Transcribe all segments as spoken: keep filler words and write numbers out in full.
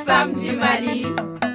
femmes du Mali.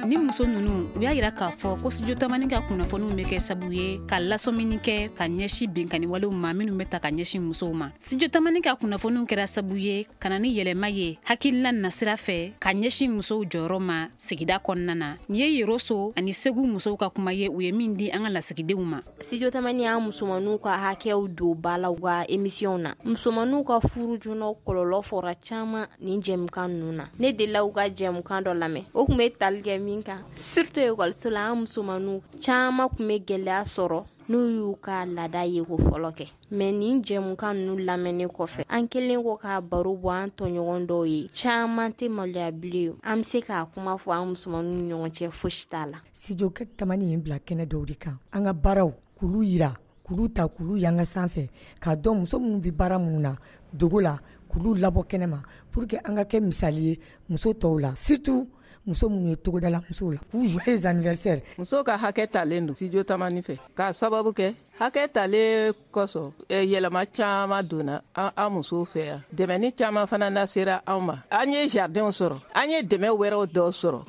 Ni muso ninnu, u y'a yira k'a fɔ ko Studio Tamani ka kunnafoniw bɛ kɛ sabu ye ka lasɔmini kɛ ka ɲɛsin binkanni walew ma minnu bɛ ta ka ɲɛsin musow ma. Studio Tamani ka kunnafoniw kɛra sabu ye ka na ni yɛlɛma ye hakilina nasira fɛ ka ɲɛsin musow jɔyɔrɔ ma sigida kɔnɔna na. Nin ye Yoroso ani Segu musow ka kuma ye, u ye min di an ka lasigidenw ma. Studio Tamani y'an musomaninw ka hakɛw don ba la u ka émission na. Musomaninw ka furu joona kɔlɔlɔ fɔra caman nin jɛmukan ninnu na. Ne delila u ka jɛmukan dɔ lamɛn, o tun bɛ tali kɛ min kan, surtout ekɔliso la, an musomaninw caman tun bɛ gɛlɛya sɔrɔ n'u y'u ka laada ye ko fɔlɔ kɛ. Mais nin jɛmukan ninnu lamɛnnen kɔfɛ, an kɛlen kɔ k'a baro bɔ an tɔɲɔgɔn dɔw ye, caman tɛ maloya bilen. An bɛ se k'a kuma fɔ an musomaninw ni ɲɔgɔn cɛ, fosi t'a la. Studio Tamani ye bila kɛnɛ dɔw de kan, an ka baaraw k'olu yira, k'olu ta, k'olu yanga sanfɛ, k'a dɔn muso minnu bɛ baara minnu na dogo la, k'olu labɔ kɛnɛ ma pour que an ka kɛ misali ye muso tɔw la, surtout muso minnu ye togodala musow la, k'u joyeux anniversaire. Musow ka hakɛ talen don Studio Tamani fɛ, k'a sababu kɛ hakɛ talen kosɔn, yɛlɛma caman donna an musow fɛ yan. Dɛmɛni caman fana nasera anw ma. An ye jardinw sɔrɔ, an ye dɛmɛ wɛrɛw dɔw sɔrɔ.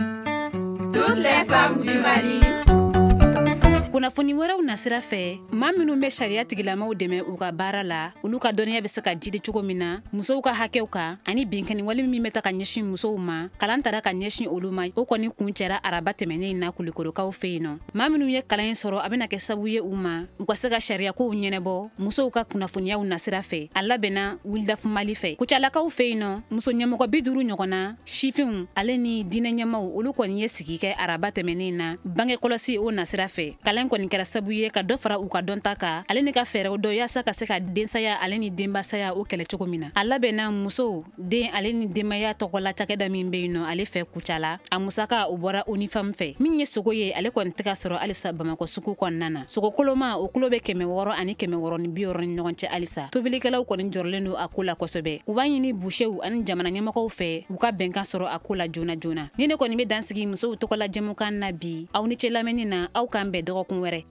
Toutes les femmes du Mali. Kunnafoni wɛrɛw nasira fɛ, maa minnu bɛ sariya tigilamaw dɛmɛ u ka baara la, olu ka dɔnniya bɛ se ka jidi cogo min na musow ka hakɛw kan ani binkanni wale min bɛ ta ka ɲɛsin musow ma, kalan tara ka ɲɛsin olu ma. O kɔni kun cɛra araba tɛmɛnen in na Kulikorokaw fɛ yen nɔ. Maa minnu ye kalan in sɔrɔ, a bɛna kɛ sababu ye u ma u ka se ka sariyakow ɲɛnabɔ musow ka kunnafoniyaw nasira fɛ. A labɛnna Wildaf Mali fɛ. Kucalakaw fɛ yen nɔ, muso ɲɛmɔgɔ bi duuru ɲɔgɔn na, sifinw ale ni diinɛ ɲɛmaw, olu kɔni ye sigi kɛ araba tɛmɛnen in na bange kɔlɔsi o nasira fɛ. Kalan kɔni kɛra sababu ye ka dɔ fara u ka dɔnta kan ale ni ka fɛɛrɛw dɔ yaasa ka se ka densaya ale ni denbasaya o kɛlɛ cogo min na. A labɛnna musow den ale ni denbaya tɔgɔla cakɛda min bɛ yen nɔ ale fɛ Kucala, a musaka o bɔra ONIFAM fɛ. Min ye sogo ye, ale kɔni tɛ ka sɔrɔ halisa Bamakɔ sugu kɔnɔna na. Sogo koloma, o kulo bɛ kɛmɛ wɔɔrɔ ani kɛmɛ wɔɔrɔ ni bi wɔɔrɔ ni ɲɔgɔn cɛ halisa. Tobilikɛlaw kɔni jɔrɔlen don a ko la kosɛbɛ. U b'a ɲini busew ani jamana ɲɛmɔgɔw fɛ u ka bɛnkan sɔrɔ a ko la joona joona. Ni ne kɔni bɛ dansigi musow tɔgɔla jɛmukan na bi, aw ni ce lamɛnni na, aw k'an bɛn dɔgɔkun wɛrɛ.